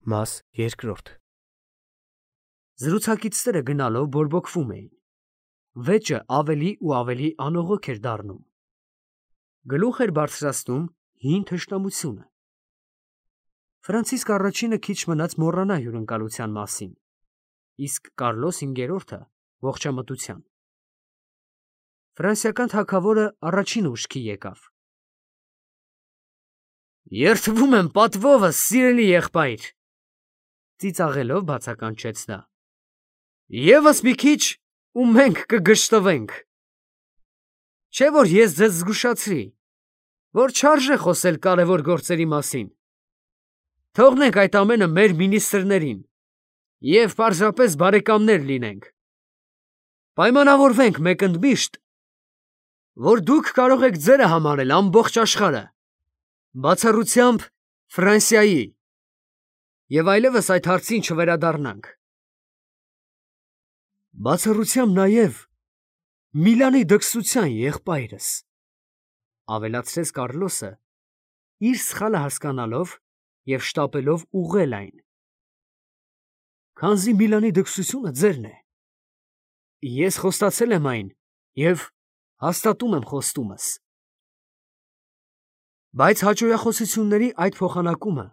Մաս երկրորդ Զրուցակիցները գնալով բորբոքվում էին։ Վեճը ավելի ու ավելի անողոք էր դառնում։ Գլուխ էր բարձրացնում հին թշնամությունը։ Ֆրանցիսկ առաջինը քիչ մնաց մոռանա հյուրընկալության մասին, իսկ Կարլոս հինգերորդը ողջամտության։ Ֆրանսիական թագավորը առաջինը ուշքի եկավ։ Երդվում եմ պատվովս, սիրելի եղբայր, ծիծաղելով բացականչեց նա։ Եվս մի քիչ ու մենք կգշտվենք։ Չէ որ ես ձեզ զգուշացրի, որ չարժե խոսել կարևոր գործերի մասին։ Թողնենք այդ ամենը մեր մինիստրներին և պարզապես բարեկամներ լինենք։ Պայմանավորվենք մեկընդմիշտ, որ դուք կարող եք ձերը համարել ամբողջ աշխարհը, բացառությամբ Ֆրանսիայի, և այլևս այդ հարցին չվերադառնանք։ Բացառությամբ նաև Միլանի դքսության եղբայրս, ավելացրեց Կարլոսը, իր սխալը հասկանալով և շտապելով ուղղել այն։ Քանզի Միլանի դքսությունը ձերն է, ես խոստացել եմ այն և հաստատում եմ խոստումս։ Բայց հաճոյախոսությունների այդ փոխանակումը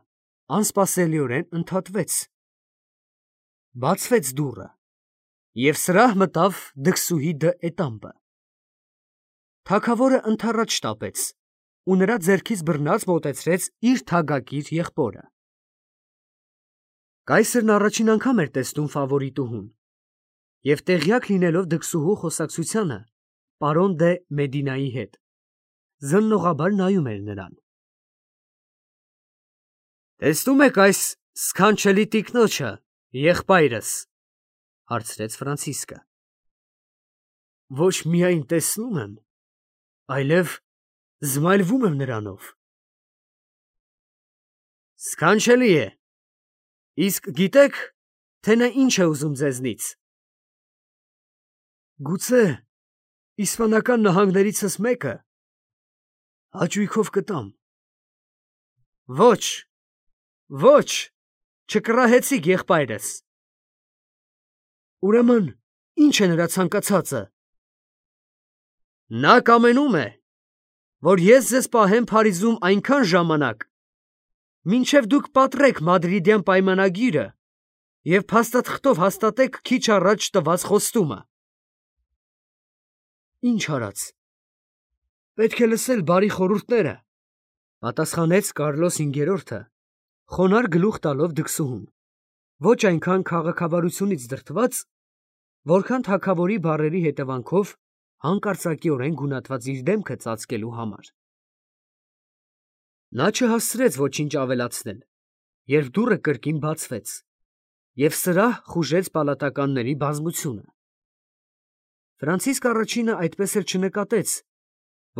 անսպասելիորեն ընդհատվեց։ Բացվեց դուռը, և սրահ մտավ դքսուհի դը Էտամպը։ Թագավորը ընդառաջ շտապեց ու նրա ձեռքից բռնած մոտեցրեց իր թագակիր եղբորը։ Կայսրն առաջին անգամ էր տեսնում ֆավորիտուհուն, և տեղյակ լինելով դքսուհու խոսակցությանը պարոն դե Մեդինայի հետ, զննողաբար նայում էր նրան։ Տեսնում եք այս սքանչելի տիկնոջը, եղբայրս, հարցրեց Ֆրանցիսկը։ Ոչ միայն տեսնում եմ, այլև զմայլվում եմ նրանով։ Սքանչելի է, իսկ գիտեք, թե նա ինչ է ուզում ձեզնից։ Գուցե իսպանական նահանգներիցս մեկը հաճույքով կտամ։ Ոչ, ոչ, չկռահեցիք եղբայրս։ Ուրեմն ի՞նչ է նրա ցանկացածը։ Նա կամենում է, որ ես ձեզ պահեմ Փարիզում այնքան ժամանակ, մինչև դուք պատռեք Մադրիդյան պայմանագիրը և փաստաթղթով հաստատեք քիչ առաջ տված խոստումը։ Ինչ արած, պետք է լսել բարի խորհուրդները, պատասխանեց Կարլոս հինգերորդը, խոնարհ գլուխ տալով դքսուհուն, ոչ այնքան քաղաքավարությունից դրդված, որքան թագավորի բառերի հետևանքով հանկարծակիորեն գունատված իր դեմքը ծածկելու համար։ Նա չհասցրեց ոչինչ ավելացնել, երբ դուռը կրկին բացվեց, և սրահ խուժեց պալատականների բազմությունը։ Ֆրանցիսկ առաջինը այդպես էլ չնկատեց,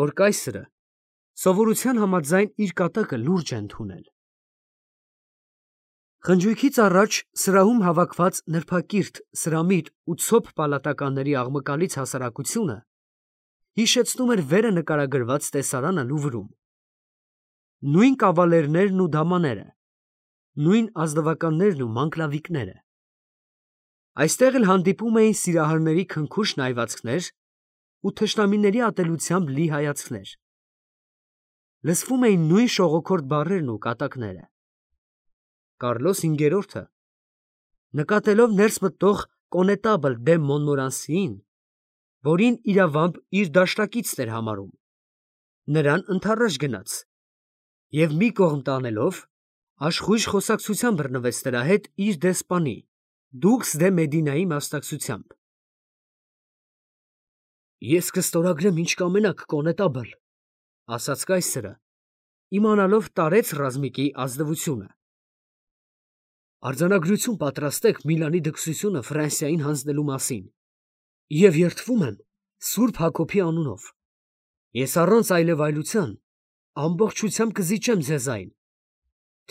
որ կայսրը սովորության համաձայն իր կատակը լուրջ է ընդունել։ Խնջույքից առաջ սրահում հավաքված նրբակիրթ, սրամիտ ու ցոփ պալատականների աղմկալից հասարակությունը հիշեցնում էր վերը նկարագրված տեսարանը Լուվրում։ Նույն կավալերներն ու դամաները, նույն ազնվականներն ու մանկլավիկները։ Այստեղ էլ հանդիպում էին սիրահարների քնքուշ նայվածքներ ու թշնամիների ատելությամբ լի հայացքներ։ Լսվում էին նույն շողոքորթ բառերն ու կատակները։ Կարլոս հինգերորդը, նկատելով ներս մտնող կոնետաբլ դե Մոնմորանսիին, որին իրավամբ իր դաշնակիցն էր համարում, նրան ընդառաջ գնաց և մի կողմ տանելով, աշխույժ խոսակցության բռնվեց նրա հետ իր դեսպանի դուքս դե Մեդինայի մասնակցությամբ։ Ես կստորագրեմ ինչ կամենաք, կոնետաբլ, ասաց կայսրը, իմանալով տարեց ռազմիկի ազնվությունը։ Արձանագրություն պատրաստեք Միլանի դքսությունը Ֆրանսիային հանձնելու մասին և երդվում եմ Սուրբ Հակոբի անունով։ Ես առանց այլևայլության ամբողջությամբ կզիջեմ ձեզ այն,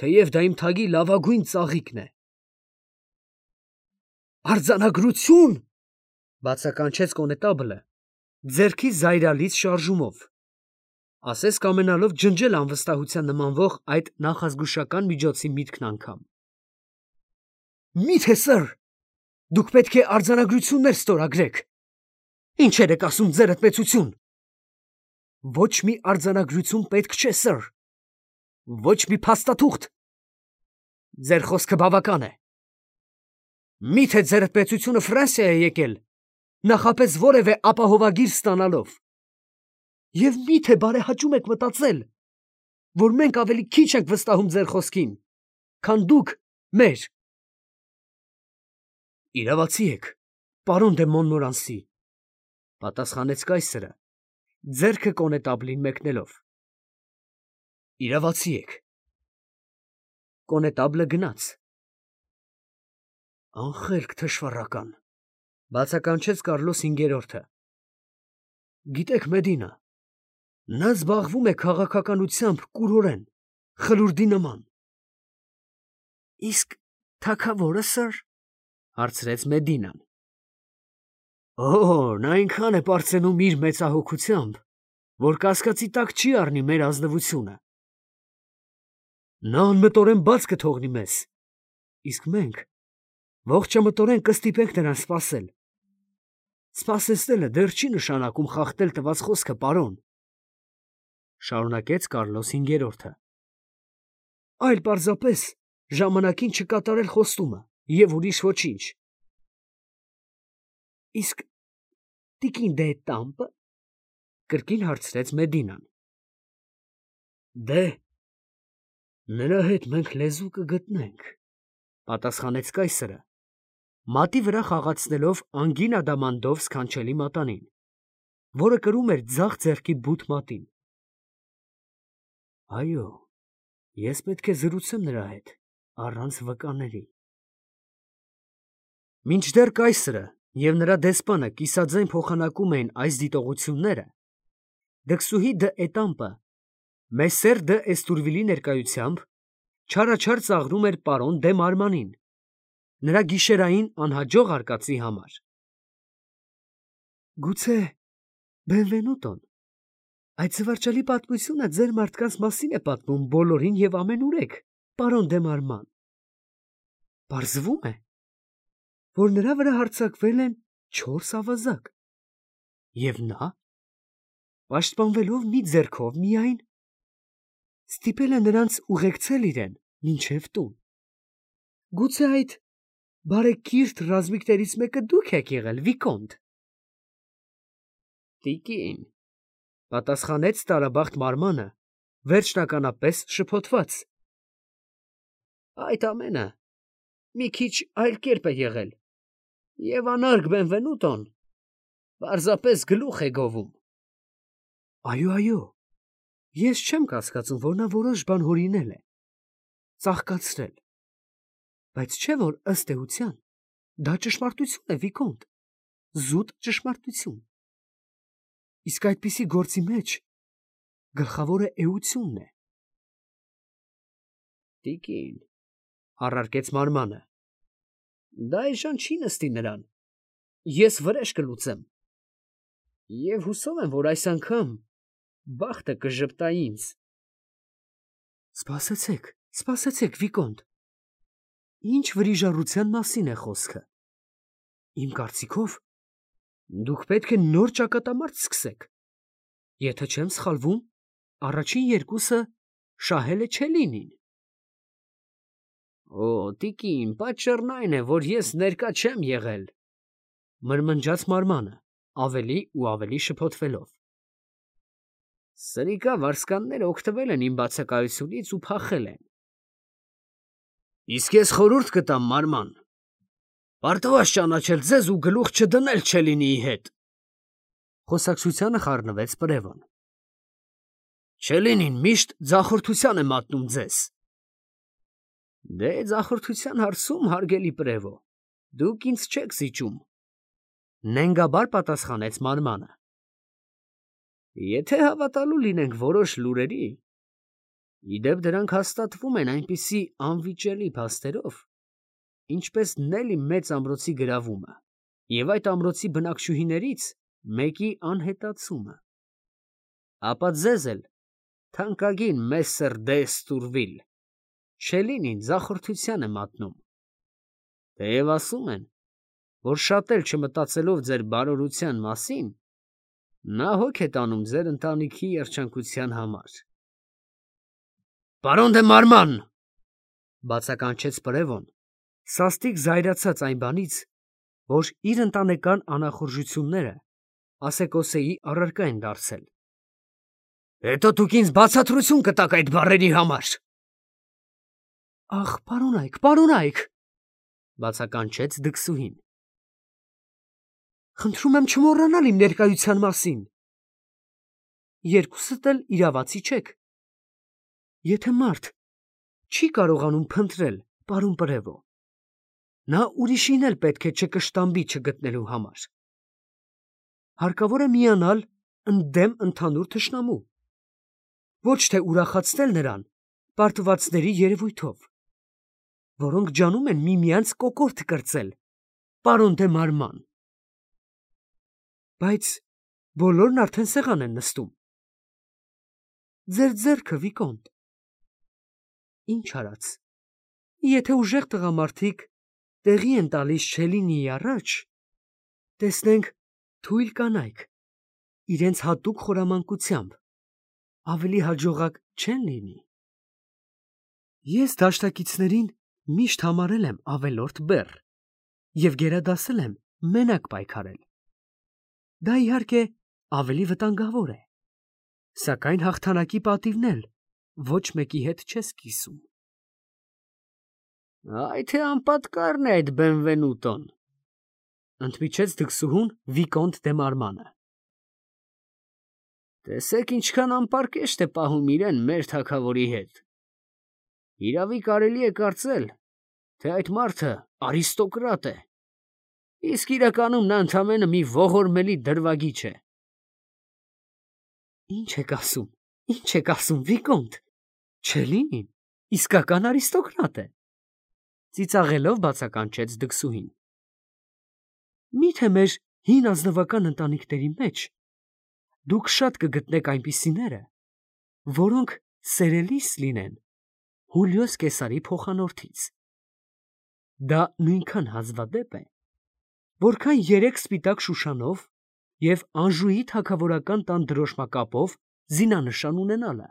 թեև դա իմ թագի լավագույն ծաղիկն է։ Արձանագրություն, բացականչեց կոնետաբլը, ձեռքի զայրալից շարժումով, ասես կամենալով ջնջել անվստահության նմանվող այդ նախազգուշական միջոցի միտքն անգամ։ Միթե սըր, դուք պետք է արձանագրություններ ստորագրեք։ Ինչեր եք ասում ձերդ մեծություն։ Ոչ մի արձանագրություն պետք չէ, սըր։ Ոչ մի փաստաթուղթ։ Ձեր խոսքը բավական է։ Միթե ձերդ մեծությունը Ֆրանսիա է եկել, նախապես որևէ ապահովագիր ստանալով։ Եվ միթե բարեհաճում եք մտածել, որ մենք ավելի քիչ ենք վստահում ձեր խոսքին, քան դուք մեր։ Իրավացի եք, պարոն դե Մոնմորանսի, պատասխանեց կայսրը, ձեռքը կոնետաբլին մեկնելով։ Իրավացի եք։ Կոնետաբլը գնաց։ Անխելք թշվառական, բացականչեց Կարլոս 5-րդը։ Գիտեք, Մեդինա, նա զբաղվում է քաղաքականությամբ կուրորեն, խլուրդի նման։ Իսկ թագավորը, սըր, հարցրեց Մեդինան։ Նա այնքան է պարծենում իր մեծահոգությամբ, որ կասկածի տակ չի առնի մեր ազնվությունը։ Նա անմտորեն բաց կթողնի մեզ, իսկ մենք ողջամտորեն կստիպենք նրան սպասել։ Սպասեցնելը դեռ չի նշանակում խախտել տված խոսքը, պարոն, շարունակեց Կարլոս 5-րդը։ Այլ պարզապես ժամանակին չկատարել խոստումը և ուրիշ ոչինչ։ Իսկ տիկին դե տամպը, կրկին հարցրեց Մեդինան։ Դե, նրա հետ մենք լեզու կգտնենք, պատասխանեց կայսրը, մատի վրա խաղացնելով անգին ադամանդով սքանչելի մատանին, որը կրում էր ձախ ձեռքի բութ մատին։ Այո, ես պետք է զրուցեմ նրա հետ, առանց վկաների։ Մինչդեռ կայսրը և նրա դեսպանը կիսաձայն փոխանակում էին այս դիտողությունները, դքսուհի դը Էտամպը Մեսսեր դը Էստուրվիլի ներկայությամբ չարաչար ծաղրում էր պարոն դե Մարմանին, նրա գիշերային անհաջող արկածի համար։ Գուցե Բենվենուտոն այդ զվարճալի պատմությունը ձեր մարդկանց մասին է պատմում բոլորին և ամենուրեք, պարոն դե Մարման։ Պարզվում է, որ նրա վրա հարձակվել են 4 ավազակ, և նա, պաշտպանվելով մի ձեռքով միայն, ստիպել է նրանց ուղեկցել իրեն մինչև տուն։ Գուցե այդ բարեկիրթ ռազմիկներից մեկը դուք եք եղել, Վիկոնտ։ Տիկին, պատասխանեց տարաբախտ Մարմանը, վերջնականապես շփոթված։ Այդ ամենը մի քիչ այլ կերպ է եղել, և անարգ Բենվենուտոն պարզապես գլուխ է գովում։ Այո, ես չեմ կասկածում, որ նա որոշ բան հորինել է, ծաղկացրել, բայց չէ՞ որ ըստ էության դա ճշմարտություն է, Վիկոնտ, զուտ ճշմարտություն։ Իսկ այդպիսի գործի մեջ գլխավորը էությունն է։ Տիկին, առարկեց Մարմանը, դա այժմ չի նստի նրան, ես վրեժ կլուծեմ, և հուսով եմ, որ այս անգամ բախտը կժպտա ինձ։ Սպասեցեք, Վիկոնտ, ինչ վրիժառության մասին է խոսքը։ Իմ կարծիքով, դուք պետք է նոր ճակատամարտ սկսեք։ Եթե չեմ սխալվում, առաջին երկուսը շահել է Չելինին։ Տիկին, պատճառն այն է, որ ես ներկա չեմ եղել, մրմնջաց Մարմանը, ավելի ու ավելի շփոթվելով։ Սրիկա վարձկանները օգտվել են իմ բացակայությունից ու փախել են։ Իսկ ես խորհուրդ կտամ, Մարման, պարտված ճանաչել ձեզ ու գլուխ չդնել Չելինիի հետ։ Խոսակցությանը խառնվեց Պրևոն։ Չելինին միշտ ձախորդության է մատնում ձեզ։ Դե ձախորդության հարցում, հարգելի Պրևո, դուք ինձ չեք զիջում, նենգաբար պատասխանեց Մարմանը։ Եթե հավատալու լինենք որոշ լուրերի, իդեպ դրանք հաստատվում են այնպիսի անվիճելի փաստերով, ինչպես Նելի մեծ ամրոցի գրավումը և այդ ամրոցի բնակչուհիներից մեկի անհետացումը, ապա ձեզ էլ, թանկագին Մեսսեր դե Էստուրվիլ, Չելինին ձախորդության է մատնում։ Թեև ասում են, որ շատ էլ չմտածելով ձեր բարօրության մասին, նա հոգ է տանում ձեր ընտանիքի երջանկության համար։ Պարոն դե Մարման, բացականչեց Պրևոն, սաստիկ զայրացած այն բանից, որ իր ընտանեկան անախորժությունները ասեկոսեի առարկա են դարձել։ Հետո դուք ինձ բացատրություն կտաք այդ բառերի համար։ Ախ, պարոնայք, բացականչեց դքսուհին։ Խնդրում եմ չմոռանալ իմ ներկայության մասին։ Երկուսդ էլ իրավացի չեք։ Եթե մարդ չի կարողանում փնտրել պարոն Պրևո, նա ուրիշին էլ պետք է չկշտամբի չգտնելու համար։ Հարկավոր է միանալ ընդդեմ ընդհանուր թշնամու, ոչ թե ուրախացնել նրան պարտվածների երևույթով, որոնք ջանում են միմյանց կոկորդ կրծել, պարոն դե Մարման։ Բայց բոլորն արդեն սեղան են նստում։ Ձեր ձեռքը, Վիկոնտ։ Ինչ արած, եթե ուժեղ տղամարդիկ տեղի են տալիս Չելինիի առաջ, տեսնենք թույլ կանայք իրենց հատուկ խորամանկությամբ ավելի հաջողակ չեն լինի։ Ես դաշտակիցներին միշտ համարել եմ ավելորդ բեռ և գերադասել եմ մենակ պայքարել։ Դա իհարկե ավելի վտանգավոր է, սակայն հաղթանակի պատիվն էլ ոչ մեկի հետ չես կիսում։ Այ թե անպատկառն է այդ Բենվենուտոն, ընդմիջեց դքսուհուն Վիկոնտ դե Մարմանը։ Տեսեք ինչքան անպարկեշտ է պահում իրեն մեր թագավորի հետ։ Իրավի կարելի է կարծել, թե այդ մարդը արիստոկրատ է, իսկ իրականում նա ընդամենը մի ողորմելի դրվագիչ է։ Ինչ եք ասում, Վիկոնտ, Չելինին իսկական արիստոկրատ է, ծիծաղելով բացականչեց դքսուհին։ Միթե մեր հին ազնվական ընտանիքների մեջ դուք շատ կգտնեք այնպիսիները, որոնք սերելիս լինեն Հուլիոս Կեսարի փոխանորդից։ Դա նույնքան հազվադեպ է, որքան 3 սպիտակ շուշանով և Անժուի թագավորական տան դրոշմակապով զինանշան ունենալը։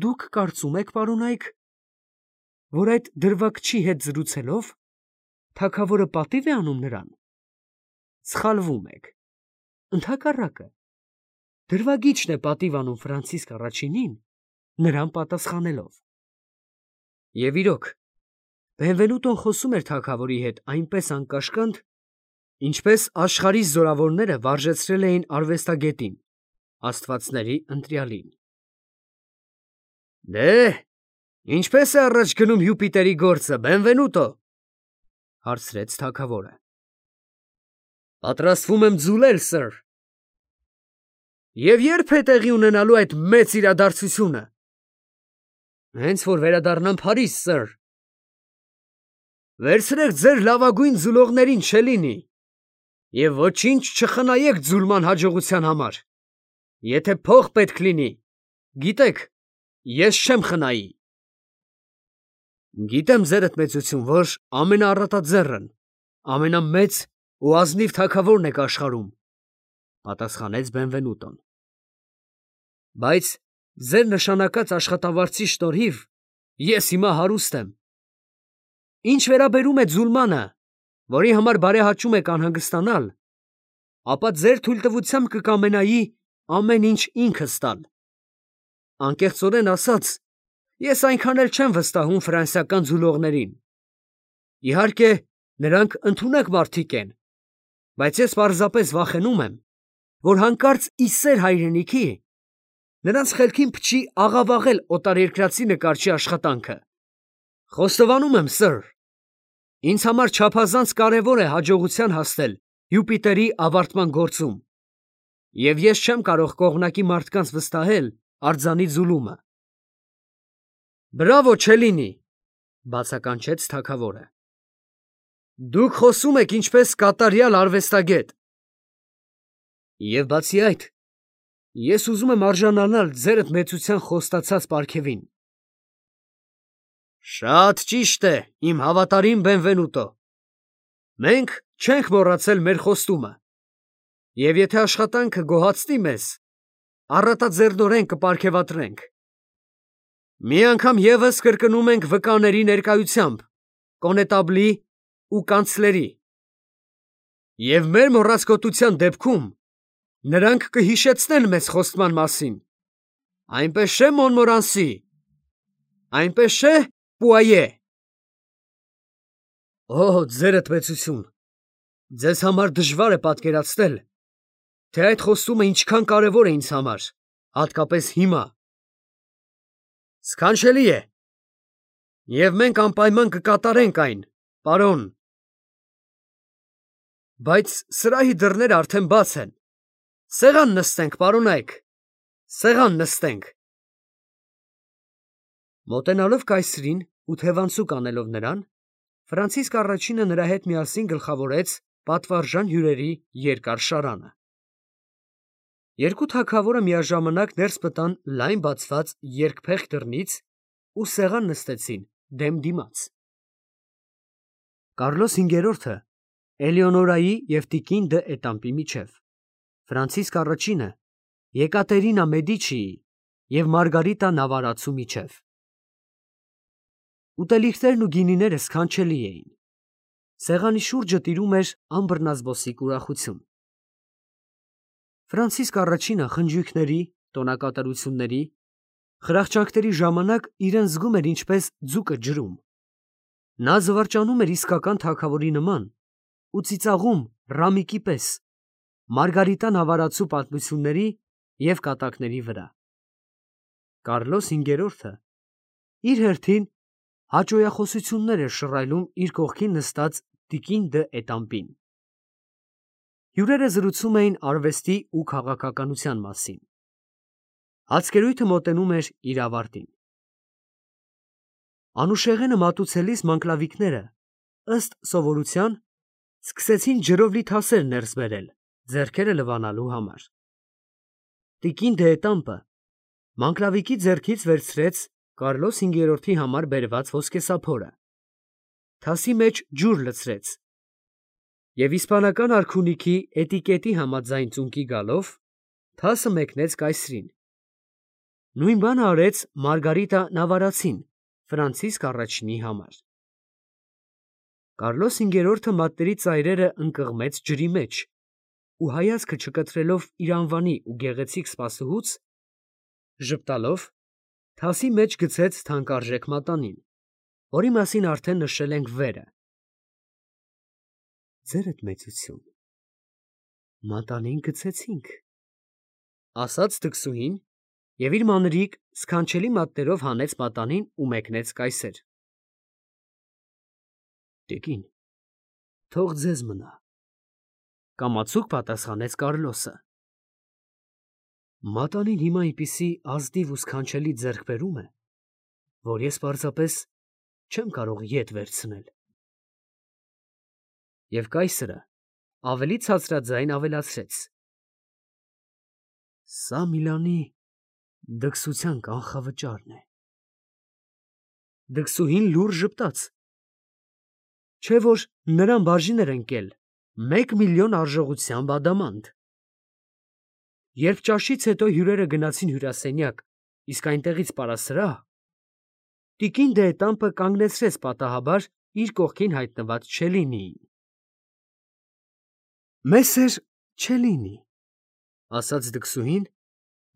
Դուք կարծում եք, պարոնայք, որ այդ դրվագչի հետ զրուցելով թագավորը պատիվ է անում նրան։ Սխալվում եք։ Ընդհակառակը, դրվագիչն է պատիվ անում Ֆրանցիսկ առաջինին, նրան պատասխանելով։ Եվ իրոք, Բենվենուտոն խոսում էր թագավորի հետ այնպես անկաշկանդ, ինչպես աշխարհի զորավորները վարժեցրել էին արվեստագետին, աստվածների ընտրյալին։ Դե, ինչպես է առաջ գնում Յուպիտերի գործը, Բենվենուտո, հարցրեց թագավորը։ Պատրաստվում եմ ձուլել, սըր։ Եվ երբ է տեղի ունենալու այդ մեծ իրադարձությունը։ Հենց որ վերադառնամ Փարիզ, սըր։ Վերցրեք ձեր լավագույն ձուլողներին, Չելինի, և ոչինչ չխնայեք ձուլման հաջողության համար։ Եթե փող պետք լինի, գիտեք, ես չեմ խնայի։ Գիտեմ ձերդ մեծություն, որ ամենաառատաձեռն, ամենամեծ ու ազնիվ թագավորն եք աշխարհում, պատասխանեց Բենվենուտոն։ Բայց ձեր նշանակած աշխատավարձի շնորհիվ ես հիմա հարուստ եմ։ Ինչ վերաբերում է ձուլմանը, որի համար բարեհաճում եք անհանգստանալ, ապա ձեր թույլտվությամբ կկամենայի ամեն ինչ ինքս տալ։ Անկեղծորեն ասած, ես այնքան էլ չեմ վստահում ֆրանսիական ձուլողներին։ Իհարկե, նրանք ընդունակ մարդիկ են, բայց ես պարզապես վախենում եմ, որ հանկարծ ի սեր հայրենիքի նրանց խելքին փչի աղավաղել օտարերկրացի նկարչի աշխատանքը։ Խոստովանում եմ, սըր, ինձ համար չափազանց կարևոր է հաջողության հասնել Յուպիտերի ավարտման գործում, և ես չեմ կարող կողմնակի մարդկանց վստահել արձանի ձուլումը։ Բրավո, Չելինի, բացականչեց թագավորը։ Դուք խոսում եք ինչպես կատարյալ արվեստագետ։ Եվ բացի այդ, ես ուզում եմ արժանանալ ձերդ մեծության խոստացած պարգևին։ Շատ ճիշտ է, իմ հավատարիմ Բենվենուտո։ Մենք չենք մոռացել մեր խոստումը, և եթե աշխատանքը գոհացնի մեզ, առատաձեռնորեն կպարգևատրենք։ Մի անգամ ևս կրկնում ենք վկաների ներկայությամբ, կոնետաբլի ու կանցլերի։ Եվ մեր մոռացկոտության դեպքում նրանք կհիշեցնեն մեզ խոստման մասին։ Այնպես չէ, Մոնմորանսի, այնպես չէ, Պուայե։ Օ, ձերդ մեծություն, ձեզ համար դժվար է պատկերացնել, թե այդ խոստումը ինչքան կարևոր է ինձ համար, հատկապես հիմա։ Սքանչելի է, և մենք անպայման կկատարենք այն, պարոն։ Բայց սրահի դռները արդեն բաց են։ Սեղան նստենք, պարոնայք, սեղան նստենք։ Մոտենալով կայսրին ու թևանցուկ անելով նրան, Ֆրանցիսկ առաջինը նրա հետ միասին գլխավորեց պատվարժան հյուրերի երկար շարանը։ Երկու թագավորը միաժամանակ ներս մտան լայն բացված երկփեղ դռնից ու սեղան նստեցին դեմ դիմաց։ Կարլոս հինգերորդը Էլեոնորայի և տիկին դը Էտամպի միջև, Ֆրանցիսկ առաջինը Եկատերինա Մեդիչիի և Մարգարիտա Նավարացու միջև։ Ուտելիքներն ու գինիները սքանչելի էին։ Սեղանի շուրջը տիրում էր անբռնազբոսիկ ուրախություն։ Ֆրանցիսկ առաջինը խնջույքների, տոնակատարությունների, խրախճանքների ժամանակ իրեն զգում էր ինչպես ձուկը ջրում։ Նա զվարճանում էր իսկական թագավորի նման ու ծիծաղում Ռամիկի պես Մարգարիտա Նավարացու պատմությունների և կատակների վրա։ Կարլոս հինգերորդը իր հերթին հաճոյախոսություններ էր շռայլում իր կողքին նստած տիկին դը Էտամպին։ Հյուրերը զրուցում էին արվեստի ու քաղաքականության մասին։ Հացկերույթը մոտենում էր իր ավարտին։ Անուշեղենը մատուցելիս մանկլավիկները, ըստ սովորության, սկսեցին ջրով լի թասեր ներս բերել, ձեռքերը լվանալու համար։ Տիկին դը Էտամպը մանկլավիկի ձեռքից վերցրեց Կարլոս հինգերորդի համար բերված ոսկեսափորը, թասի մեջ ջուր լցրեց և իսպանական արքունիքի էտիկետի համաձայն ծունկի գալով թասը մեկնեց կայսրին։ Նույն բանը արեց Մարգարիտա Նավարացին Ֆրանցիսկ առաջինի համար։ Կարլոս հինգերորդը մատների ծայրերը ընկղմեց ջրի մեջ ու հայացքը չկտրելով իր անվանի ու գեղեցիկ սպասուհուց, ժպտալով թասի մեջ գցեց թանկարժեք մատանին, որի մասին արդեն նշել ենք վերը։ Ձերդ մեծություն, մատանին գցեցինք, ասաց դքսուհին և իր մանրիկ սքանչելի մատներով հանեց մատանին ու մեկնեց կայսեր։ Տիկին, թող ձեզ մնա, կամացուկ պատասխանեց Կարլոսը։ Մատանին հիմա այնպիսի ազնիվ ու սքանչելի ձեռքբերում է, որ ես պարզապես չեմ կարող ետ վերցնել։ Եվ կայսրը ավելի ցածրաձայն ավելացրեց. Սա Միլանի դքսության կանխավճարն է։ Դքսուհին լուռ ժպտաց, չէ որ նրան բաժին էր ընկել 1 միլիոն արժողությամբ ադամանդ։ Երբ ճաշից հետո հյուրերը գնացին հյուրասենյակ, իսկ այնտեղից պարասրահ, տիկին դը Էտամպը կանգնեցրեց պատահաբար իր կողքին հայտնված Չելինիին։ Մեսեր Չելինի, ասաց դքսուհին,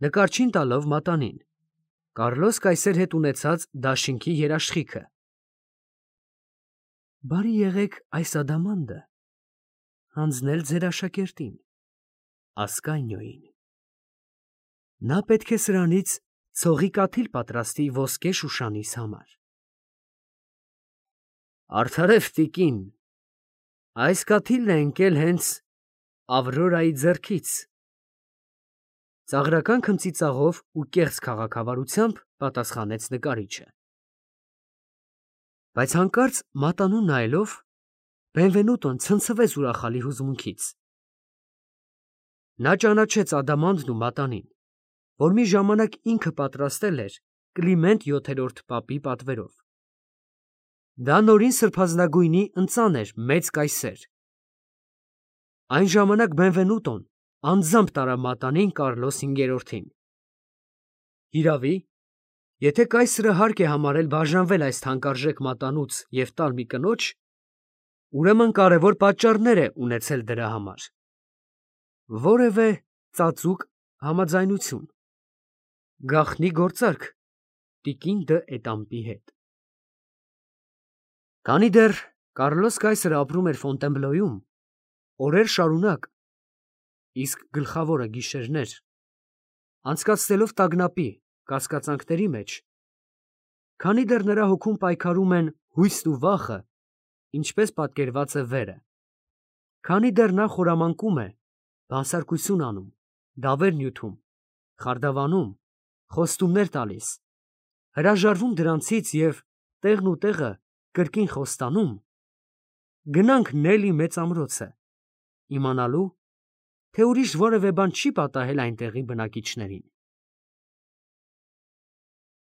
նկարչին տալով մատանին, Կարլոս կայսեր հետ ունեցած դաշինքի երաշխիքը։ Բարի եղեք այս ադամանդը հանձնել ձեր աշակերտին, Ասկանիոյին։ Նա պետք է սրանից ցողի կաթիլ պատրաստի ոսկե շուշանիս համար։ Արդարև տիկին, այս կաթիլն է ընկել հենց Ավրորայի ձեռքից։ Ծաղրական քմծիծաղով ու կեղծ քաղաքավարությամբ պատասխանեց նկարիչը։ Բայց հանկարծ մատանուն նայելով, Բենվենուտոն ցնցվեց ուրախալի հուզմունքից։ Նա ճանաչեց ադամանդն ու մատանին, որ մի ժամանակ ինքը պատրաստել էր Կլիմենտ VII պապի պատվերով։ Դա նորին սրբազնագույնի ընծան էր մեծ կայսեր։ Այն ժամանակ Բենվենուտոն անձամբ տարավ մատանին Կարլոս 5-ին։ Հիրավի, եթե կայսրը հարկ է համարել բաժանվել այս թանկարժեք մատանուց և տալ մի կնոջ, ուրեմն կարևոր պատճառներ է ունեցել դրա համար։ Որևէ ծածուկ համաձայնություն, գաղտնի գործարք տիկին դը Էտամպի հետ։ Քանի դեռ Կարլոս կայսրը ապրում էր Ֆոնտենբլոյում, օրեր շարունակ, իսկ գլխավորը գիշերներ, անցկացնելով տագնապի, կասկածանքների մեջ, քանի դեռ նրա հոգում պայքարում են հույսն ու վախը, ինչպես պատկերված է վերը, քանի դեռ նա խորամանկում է, բանսարկություն անում, դավեր նյութում, խարդավանում, խոստումներ տալիս, հրաժարվում դրանցից և տեղն ու տեղը կրկին խոստանում, գնանք Նելի մեծ ամրոցը, իմանալու, թե ուրիշ որևէ բան չի պատահել այնտեղի բնակիչներին։